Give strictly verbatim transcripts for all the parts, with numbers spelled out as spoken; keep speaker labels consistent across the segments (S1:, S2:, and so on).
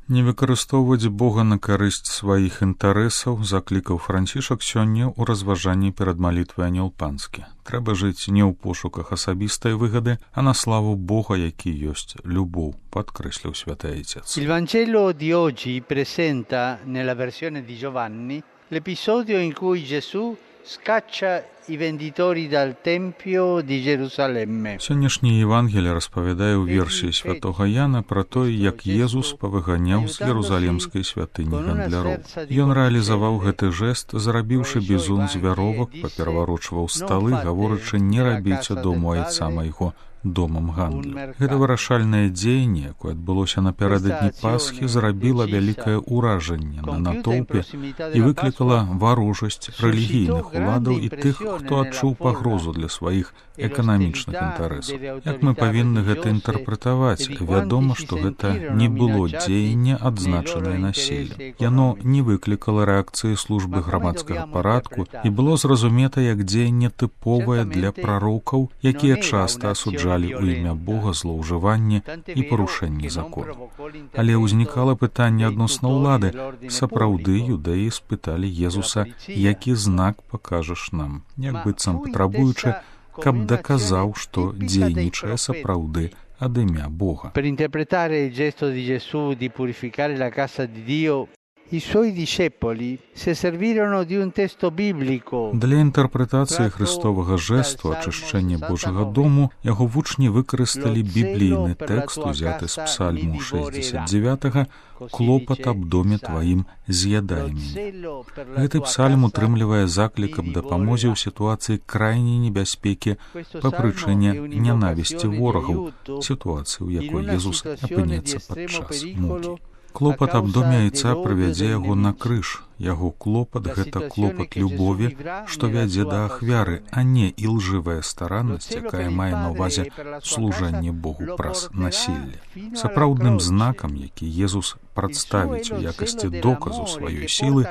S1: Не выкарыстоўваць Бога на карысць сваіх інтарэсаў заклікаў Францішак сёння ў разважанні перад малітвай Анёл Панскі. Трэба жыць не ў пошуках асабістай выгады, а на славу Бога, які ёсць любоў, падкрэсліў святы Айцец.
S2: Il Vangelo di oggi presenta nella versione di Giovanni l'episodio in cui Gesù scaccia i venditori dal Tempio di Gerusalemme.
S1: Сённяшняе Евангелие распавядае ў версіі святога Яна пра тое, як Езус павыганяў з Єрусалімскай святыні гандляроў. Ён рэалізаваў гэты жэст, зарабіўшы бізун з вяровак, папераварочваў сталы, гаворачы не рабіце дому айца майго домам гандлю. Гэта вырашальнае дзеянне, якое адбылося напярэдадні Пасхі, зрабіла вялікае ўражанне на натоўпе і выклікала варожасць рэлігійных уладаў і тых, хто адчуў пагрозу для сваіх эканамічных інтарэсаў. Як мы павінны гэта інтэрпрэтаваць? Вядома, што гэта не было дзеянне, адзначанае насіллем. Яно не выклікала рэакцыі службы грамадскага парадку і было зразумета як дзеянне тыповае для прарокаў, якія часта асуджаюць у імя Бога злоўжыванне і парушэнне закону. Але ўзнікала пытанне адносна ўлады. Сапраўды юдэі спыталі Езуса, які знак пакажаш нам, як быццам патрабуючы, каб даказаў, што дзейнічае сапраўды ад імя Бога.
S2: Per interpretare il gesto di Gesù di purificare la casa di Dio, i suoi discepoli si servirono di un testo biblico.
S1: Для інтэрпрэтацыі хрыстовага жэсту ачышчэння Божага дому яго вучні выкарысталі біблійны тэкст, узяты з псальму шэсцьдзесят дзевятага «Клопат аб доме тваім з'ядай мяне». Гэты псальм утрымлівае заклік аб дапамозе ў сітуацыі крайняй небяспекі па прычыне нянавісці ворагаў, сітуацыі, у якой Езус апынецца падчас мукі. Клопат аб доме айца прывядзе яго на крыж. Яго клопат — гэта клопат любові, што вядзе да ахвяры, а не ілжывая стараннасць, якая мае на ўвазе служэнне Богу праз насілле. Сапраўдным знакам, які Езус прадставіць у якасці доказу сваёй сілы,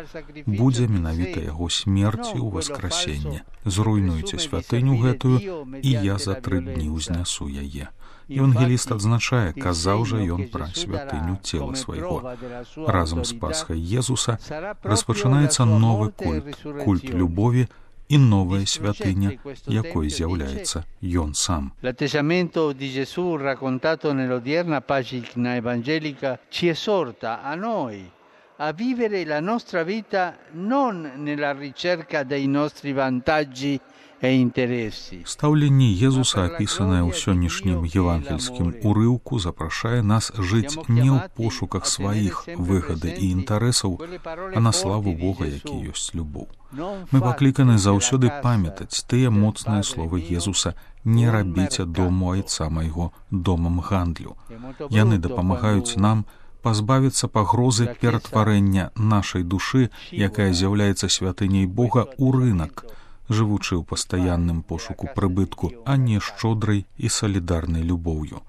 S1: будзе менавіта яго смерць і ўваскрасенне. Зруйнуйце святыню гэтую, і я за тры дні ўзнясу яе. Евангеліст адзначае, казаў жа ён пра святыню цела свайго. Разам з Пасхай Езуса распачынаецца новы культ, культ любові і новая святыня, якой з'яўляецца ён сам.
S2: L'atteggiamento di Gesù raccontato nell'odierna pagina evangelica ci esorta a noi a vivere la nostra vita non nella ricerca dei nostri vantaggi e interessi.
S1: Стаўленне Езуса, апісанае ў сённяшнім евангельскім урыўку, запрашае нас жыць не ў пошуках сваіх выгады і інтарэсаў, а на славу Бога, які ёсць любоў. Мы пакліканы заўсёды памятаць тыя моцныя словы Езуса: «Не рабіце дому айца майго домам гандлю». Яны дапамагаюць нам пазбавіцца пагрозы ператварэння нашай душы, якая з'яўляецца святыняй Бога, у рынак, жывучы ў пастаянным пошуку прыбытку, а не шчодрай і салідарнай любоўю.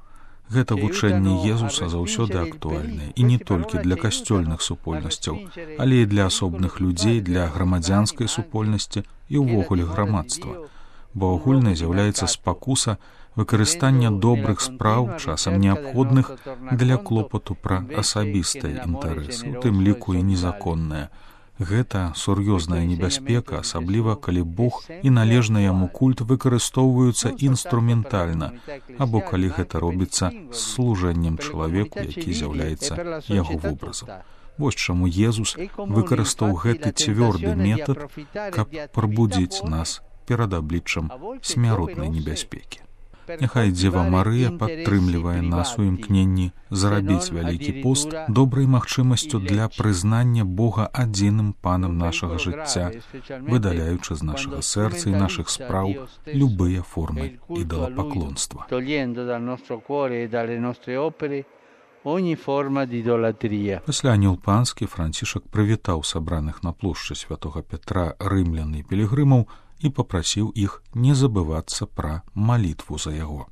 S1: Гэта вучэнне Езуса заўсёды актуальнае, і не толькі для касцёльных супольнасцяў, але і для асобных людзей, для грамадзянскай супольнасці і ўвогуле грамадства. Бо агульнай з'яўляецца спакуса выкарыстання добрых спраў, часам неабходных для клопату пра асабістыя інтарэсы, у тым ліку і незаконныя. Гэта сур'ёзная небяспека, асабліва калі Бог і належны яму культ выкарыстоўваюцца інструментальна, або калі гэта робіцца з служэннем чалавеку, які з'яўляецца яго вобразам. Вось чаму Езус выкарыстаў гэты цвёрды метад, каб прабудзіць нас перад абліччам смяротнай небяспекі. Няхай Дзева Марыя падтрымлівае нас у імкненні зарабіць вялікі пост добрай магчымасцю для прызнання Бога адзіным панам нашага жыцця, выдаляючы з нашага сэрца і нашых спраў любыя формы ідалапаклонства. Пасля Анёл Панскі Францішак прывітаў сабраных на плошчы святога Пятра рымлян і пілігрымаў і папрасіў іх не забывацца пра малітву за яго.